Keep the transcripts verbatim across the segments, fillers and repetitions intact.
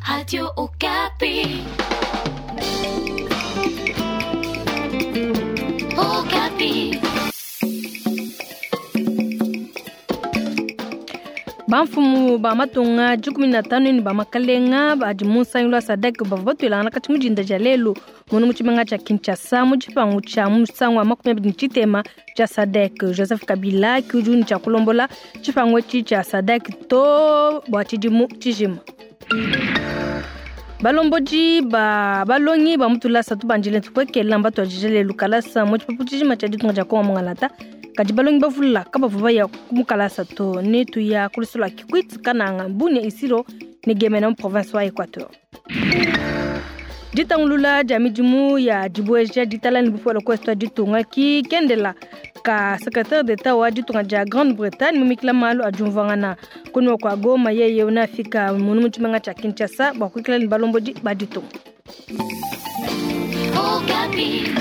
Radio Okapi. Okapi. Bamfumu ba matunga dikumi na tanu ne ba makalenga badi mu nsangilu wa SADC bavua batuilangana katshi mu dinda dia lelu munu mu tshimenga tshia Kinshasa mu tshipangu tshia musangu wa makumi abidi ne tshitema tshia SADC. Joseph Kabila ki udi ne tshia kulombola tshipangu etshi tshia SADC to bua tshidimu tshijima. Balombodi ba balongi ba mutulasa tubandile tukwekela mbatuadije lelu kalasa mu tshipapu tshijima tshia ditunga dia Kongo Mungalata. Kadi balongi bavula kabavua baya mukalasa to ne tuya kulusula Kikwit Kananga Bunia Isiro ne Gemena mu province wa Equateur. Ditangulula dia midimu ya dibueja ditala ne bupole ku ditunga ki kendela ka secrétaire d'État wa ditunga dia Grande-Bretagne mumikila malu adiumvuangana kunwa kwa Goma yeye unafika munu mu tshimenga tshia Kinshasa bua kuikala ne balombodi ba ditunga. Okapi.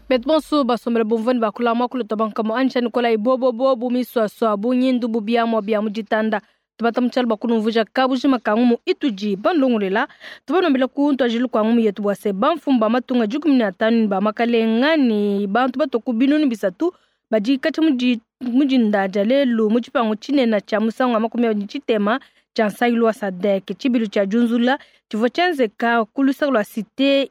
Bet bonso basombela bomvani bakula makulu tabanka mo ansha Nicolas ibobo bobo miswaswa bunyindu bubiamwa bia mujitanda tubata mutshalo bakulumvuja kabujima kangumu ituji bandongolela tubanombela ku ntwajilu kwa ngumu yetu bwase bamfumu ba matunga dikumi na tanu ba makalenga ni bantu batoku binunu bisatu badi katshi mudi mudinda dia lelu mu tshipangu tshinene tshia musangu wa makumi abidi tshitema tshia nsangilu wa SADC tshibilu tshia diunzula tshivua tshienzeka ku luseke lua cité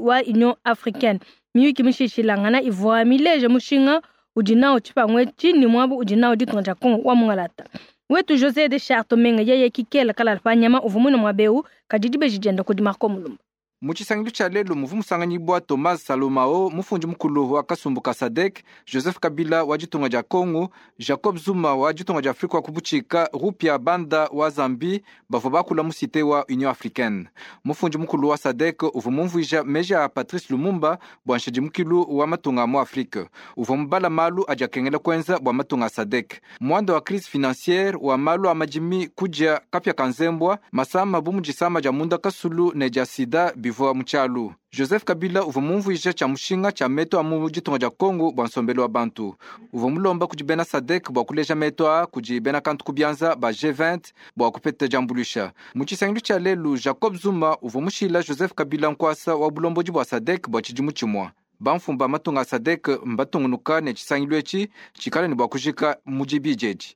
wa Union africaine. Miyuki mishishilangana ivua mileje mushinga udi nawo tshipangu etshi ni muabu udi nawo ditunga dia Kongo wa Mungalata. Wetu José de Charles Menga yeye kikela kala pa nyama uvua muine muaba eu kadi dibeji dienda kudi Marco Mulumba. Mu tshisangilu tshia lelu muvu musanganyibua Thomas Salomao mufundi mukulu wa kasumbu ka SADC, Joseph Kabila wa ditunga dia Kongo, Jacob Zuma wa ditunga dia Afrika wa kubutshika, Rupia Banda wa Zambie bavua bakula mu cité wa Union africaine. Mufundi mukulu wa SADC uvua mumvuija meji a Patrice Lumumba bua nshidimukilu wa matunga mu Afrika. Uvua mubala malu adi akengela kuenza bua matunga a SADC. Muanda wa crise financière wa malu a madimi kudia kapia ka nzembwa, masama bu mudisama dia munda kasulu ne dia sida bivua mu tshialu. Joseph Kabila uvua mumvuija tshia mushinga tshia meto a mu ditunga dia Kongo bua nsombelu wa bantu. Uvua mulomba kudi bena SADC bua kuleja meto a kudi bena kantu ku bianza ba G vingt bua kupeta diambuluisha. Mu tshisangilu tshia lelu Jacob Zuma uvua mushila Joseph Kabila nkuasa wa bulombodi bua SADC bua tshidimu tshimue. Bamfumu ba matunga a SADC mbatungunuka ne tshisangilu etshi tshikale ne bua kujika mu dibidi edi.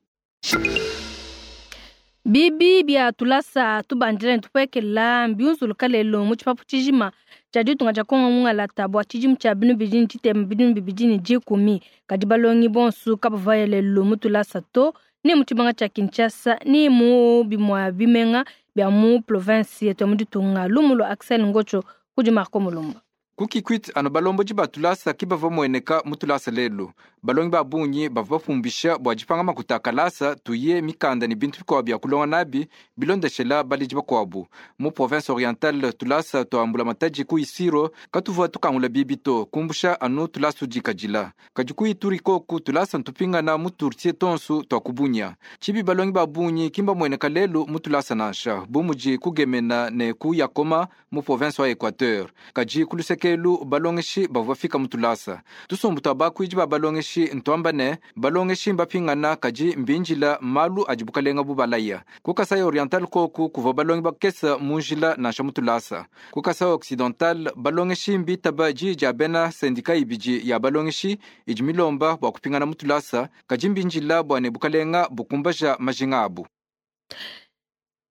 Bibi bia tulasa tubandile tupekela mbiunzuluka lelu mu tshipapu tshijima tshia ditunga dia Kongo Mungalata bua tshidimu tshia binu bidi ne tshitema binu bibidi ne dikumi. Kadi balongi bonso kabavua lelu mu tulasa to ni mu tshimenga tshia Kinshasa ni mu bimua bimenga bia mu province yetu ya mu ditunga. Lumu lua Axel Ngocho kudi Marco Mulumba. Ku Kikwit anu balombodi ba tulasa ki bavua mueneka mu tulasa lelu. Balongi ba bungi bavua bapumbisha bua dipanga makuta a kalasa tuye mikanda ne bintu bikuabu bia kulonga nabi bilondeshela baledi bakuabu. Mu province orientale tulasa tuambula matadi ku Isiro katuvua tukangula bibi to kumbusha anu tulasa tudikadila. Kadi ku Ituri koku tulasa ntupingana mu turtie tonsu tua kubunya. Tshibi balongi ba bungi kimba mueneka lelu mu tulasa nansha bu mudi kugemena ne ku Yakoma mu province wa Equateur. Kadi ku luseke balongeshi bavua fika mu tulasa. Tusumbu tua bakuidi ba balongeshi ntuamba ne balongeshi mbapingana kadi mbinjila malu adi bukalenga bubalaya. Ku Kasai Oriental koku kuvua balongi bakesa mu njila nansha mu tulasa. Ku Kasai Occidental balongeshi mbitaba diyi dia bena sendika ibidi ya balongeshi idi milomba bua kupingana mu tulasa kadi mbinjila bua ne bukalenga bukumbaja majinga abu.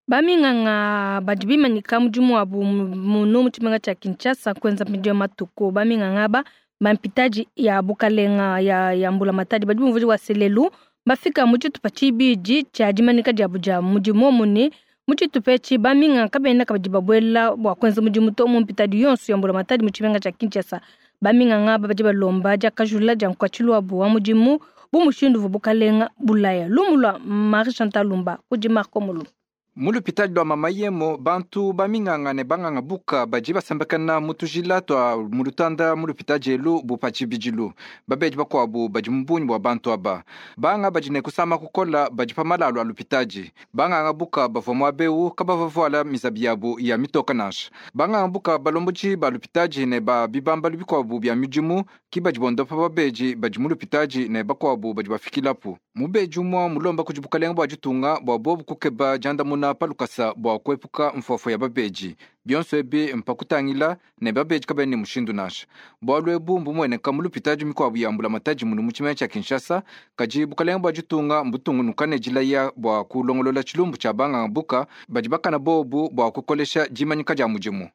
Baminganga badi bimanyika mudimu wabu muno mu tshimenga tshia Kinshasa kuenza midimu ya matuku. Baminganga aba bampitaji ya bukalenga ya, ya mbula matadi badi bumvuija wa selelu bafika mu tshitupa tshibidi tshia dimanyika diabu dia mudimu mune mu tshitupa etshi baminganga kabena kabadi babuela bua kuenza mudimu to mu mpitadi yonso ya mbula matadi mu tshimenga tshia Kinshasa. Baminganga aba badi balomba diakajula dia nkuatshilu wabu wa mudimu bu mushindu uvua bukalenga bulaya. Lumu lua Marie Chantal Lumba kudi Marco Mulumba. Mu lupitali lua mama yemo bantu baminganga ne banganga buka badi basambakana mu tujila tua mu lutanda mu lupitali elu bupa tshibidilu. Babedi bakuabu badi mu bungi bua bantu aba. Banga badi ne kusama kukola badi pa malalu a lupitali. Banganga buka bavua muaba eu kabavua vuala mizabi yabu ya mitoka nansha. Banganga buka balombodi ba lupitali ne ba bibambalu bikuabu bia midimu ki badi bondopa babedi badi mu lupitali ne bakuabu badi bafikilapu. Mubedi umue mulomba kudi bukalenga bua ditunga bua bobu kukeba diandamuna kuandamuna pa lukasa bua kuepuka mfuafua ya babedi. Bionso ebi mpakutangila ne babedi kabena ne mushindu nansha. Bualu ebu mbumueneka mu lupitadi mikuabu ya mbulamatadi munu mu tshimenga tshia Kinshasa, kadi bukalenge bua ditunga mbutungunuka ne dilaya bua kulongolola tshilumbu tshia banganga buka badi bakana bobu bua kukolesha dimanyika dia mudimu.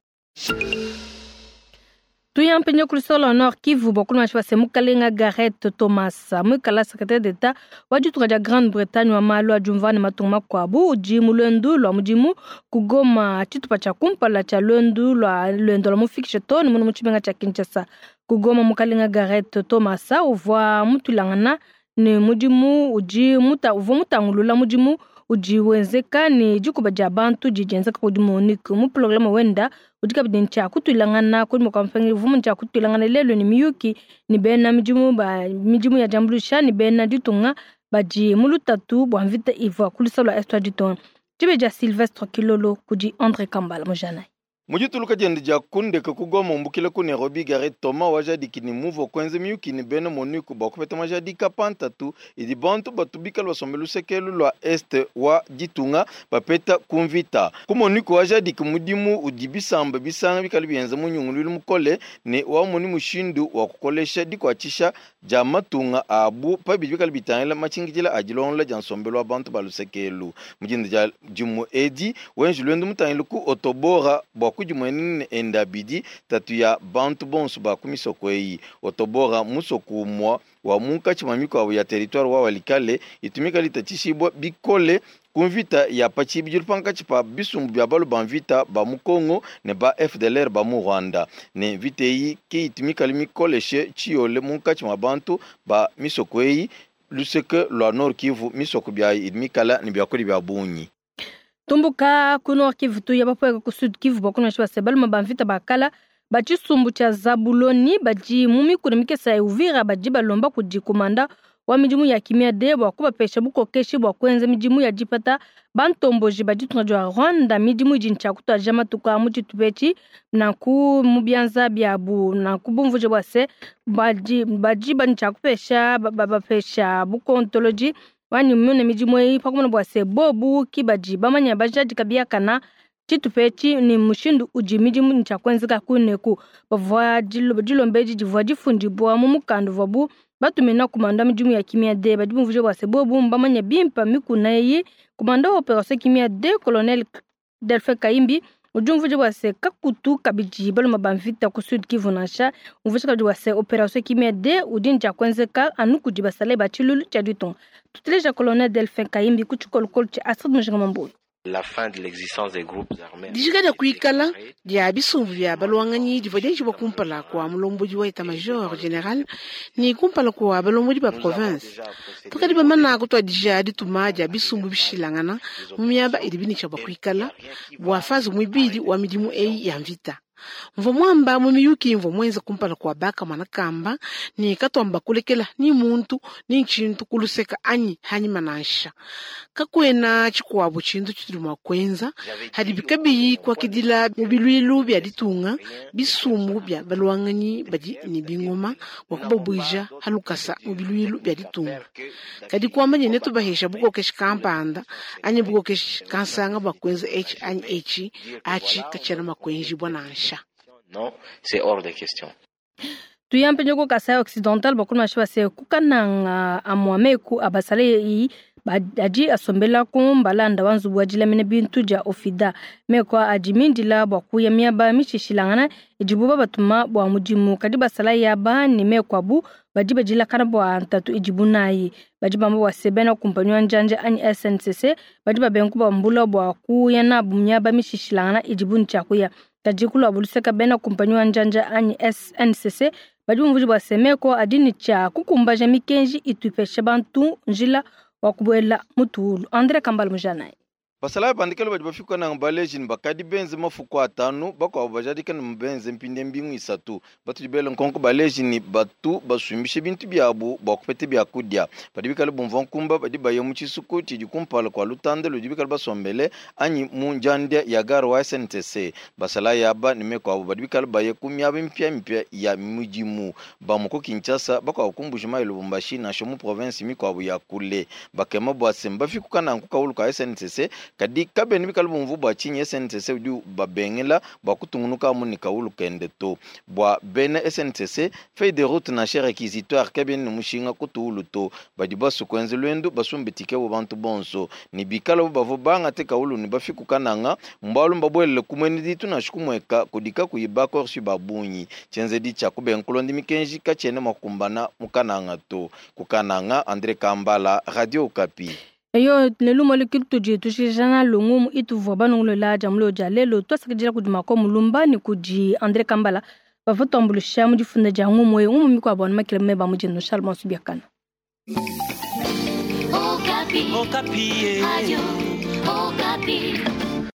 Tuyampenye kulisolo Nord Kivu bokulu base mukalenga Gareth Thomas mwikala secrétaire d'État wa ditunga dia Grande-Bretagne wa malu a diumva ne matunga makuabu udi mu luendu lua mudimu kugoma tshitupa tshia kumpala tshia luendu lua luendo lua mufikishe too ne munu mu tshimenga tshia Kinshasa. Kugoma mukalenga Gareth Thomas uvua mutulangana ne mudimu udi muta uvua mutangulula mudimu udi wenzeka ne dikuba dia bantu didi dienzeka kudi MONUC mu programa wenda udi kabidi ntshia kutulangana kudi mukampangi vumu ntshia kutulangana lelo ne miyuki ne bena midimu ba midimu ya diambuluisha ne bena ditunga badi mu lutatu bua mvita ivua ku lua est wa ditunga. Dibe dia Sylvestre Kilolo kudi André Kambala mujanai. Mujituluka diende dia kundeka kugoma umbukile ku Nairobi Gareth Thomas wajadiki ni muvo kwenze miyuki ni bena MONUC bua kupeta majadika pantatu idi bantu batu bikala basombe lusekelu lua este wa ditunga bapeta kumvita ku MONUC wajadiki mudimu udi bisamba bisanga bikala bienza munyungululu mukole ne wamoni mushindu wa kukolesha dikuatshisha dia matunga abu pabidi bikala bitangila machingidila a dilongola dia nsombelu wa bantu ba lusekelu mujinda dia dimu edi wenji lwendu mutangile ku otobora bua kudimwenene enda bidi tatu ya bantu bonso ba ku misoko eyi otobora musoko umwa wa munkatshi mwa mikuabu ya territoire wa walikale itumika litatshishibwa bikole ku mvita ya patshibidilu pankatshi pa bisumbu bia balu ba mvita ba mu Congo ne ba F D L R ba mu Rwanda ne mvita eyi ke itumika mikoleshe tshiyole munkatshi mwa bantu ba misoko eyi luseke lua Nord Kivu misoko biayi idi mikala ne biakudi bia bungi. Tumbuka ku Nord Kivu tuya bapoeka ku Sud Kivu bakuna base baluma ba mvita bakala batshisumbu tshia Zabuloni badi mu mikuna mikesa ya Uvira badi balomba kudi komanda wa midimu ya kimia de bua kubapesha bukokeshi bua kuenza midimu ya dipata bantomboji baditunga dia Rwanda midimu idi ntshia kutuadija matuku a mu tshitupa nanku mu bianza biabu nanku bumvuje bua se badi badi bantshia kupesha babapesha bukontoloji wani mune midimu eyi pakumona bua se bobu ki badi bamanya bajadika biakana tshitupa ni mushindu udi midimu ntshia kuenzeka kuneku bavua dilomba edi divua difundibwa mu mukanda uvuabu batumina kumanda midimu ya kimia de badi bumvuje bua se bobu mbamanya bimpa mikuna eyi kumanda wa operation kimia de colonel Delphin Kaimbi udi umvuje bua se kakutu kabidi baluma ba mvita ku Sud Kivu nansha umvuje kabidi bua se operation kimia de udi ntshia kuenzeka anu kudi basale ba tshilulu tshia ditunga. Tuteleja colonel Delphin Kaimbi ku tshikolokolo tshia Astrid Mujinga Mambuyi. La fin de l'existence des groupes armés. Dijika dia kuikala dia bisumbu bia balwanganyi divua dienjibua kumpala kua mulombodi wa état-major général ni kumpala kua balombodi ba province. Tukadi bamana kutuadija dituma dia bisumbu bishilangana mu miaba idi binitsha bua kuikala bua faze muibidi wa midimu eyi ya mvita. Mvua mwamba mu miyuki mvua mwenza kumpala kua baka mwana kamba ni katwamba kulekela ni muntu ni nchintu kuluseka anyi hanyima nansha kakwena tshikuabu tshintu tshitudi mua kuenza hadi bikabiyi kuakidila mu bilwilu bia ditunga bisumbu bia balwanganyi badi ne bingoma bua kubabwija halukasa mu bilwilu bia ditunga kadi kuamba ne tubahesha bukokeshi kampanda anyi bukokeshi kansanga bua kuenza eci anyi eci achi katshiena makuenjibua nansha. Non, c'est hors de question. Tuyampe nyoko Kasai Occidental bakulu mashiba se kukananga amwameku abasale yi adi asombela ku mbalanda wa nzubu wa dilamina bintu dia ofida meko adi mindila bua kuya miaba mishishilangana idibu babatuma bua mudimu kadi basala yaba ne meko abu badi badilakana bua ntatu idibu nayi badi bamba bua se bena kumpanyi wa njanja anyi S N C C badi babenku bambula bua kuya nabu miaba mishishilangana idibu ntshia kuya kadi kulua buluseka bena kumpanyi wa njanja anyi S N C C badi bumvuje bua se meko adi ne tshia kukumbaja mikenji itupesha bantu njila wa kubuela mutuulu. André Kambala mujanai. Basala bandikelo badi bafika na baleji ni bakadi benze mafuku atanu bakwabo bajadika ni benze mpinde mbingu isatu batu dibele nkonko baleji ni batu basumbishe bintu byabu bua kupete byakudia badi bikale bumva nkumba badi baye mu tshisuku tshidi kumpala kua lutanda ludi bikale basombele anyi mu njanda ya gare wa S N T C basala yaba ni mekwabo badi bikale baye ku miaba mpya mpya ya midimu bamwe ku Kinshasa bakwabo ku Mbuji-Mayi Lubumbashi nansha mu province mikwabo ya kule bakema bua se mbafikuka nanku kaulu ka S N T C Kadi kabena bikale bumvu bua tshinyi S N C C udi babengela bua kutungunuka amu ne kawulu kende to. Bua bena S N C C, feuille de route nansha réquisitoire kabena ne mushinga kutuulu to. Badi basu kuenza luendu basumbe tike bo bantu bonso. Ne bikala bo bavua bangate kawulu ne bafiku kananga, mbalu mbabwelele kumwene ditu nansha kumweka kudika kuyiba korsi ba bungi. Tshienzedi tshia kubenga kulonda mikenji katshiena mua kukumbana mu kananga to. Ku Kananga, André Kambala, Radio Okapi. Eyo ne lumo le tudi tushijana lungu ituvua banongolela dia mulo dia lelo twasakidila kudi Mako Mulumba ne kudi André Kambala bavua tuambulusha mu difunda dia ngumu eyo ngumu mikuabo anu makele meba mu dino Charles Mansubiakana. Okapi. Okapi. Radio Okapi.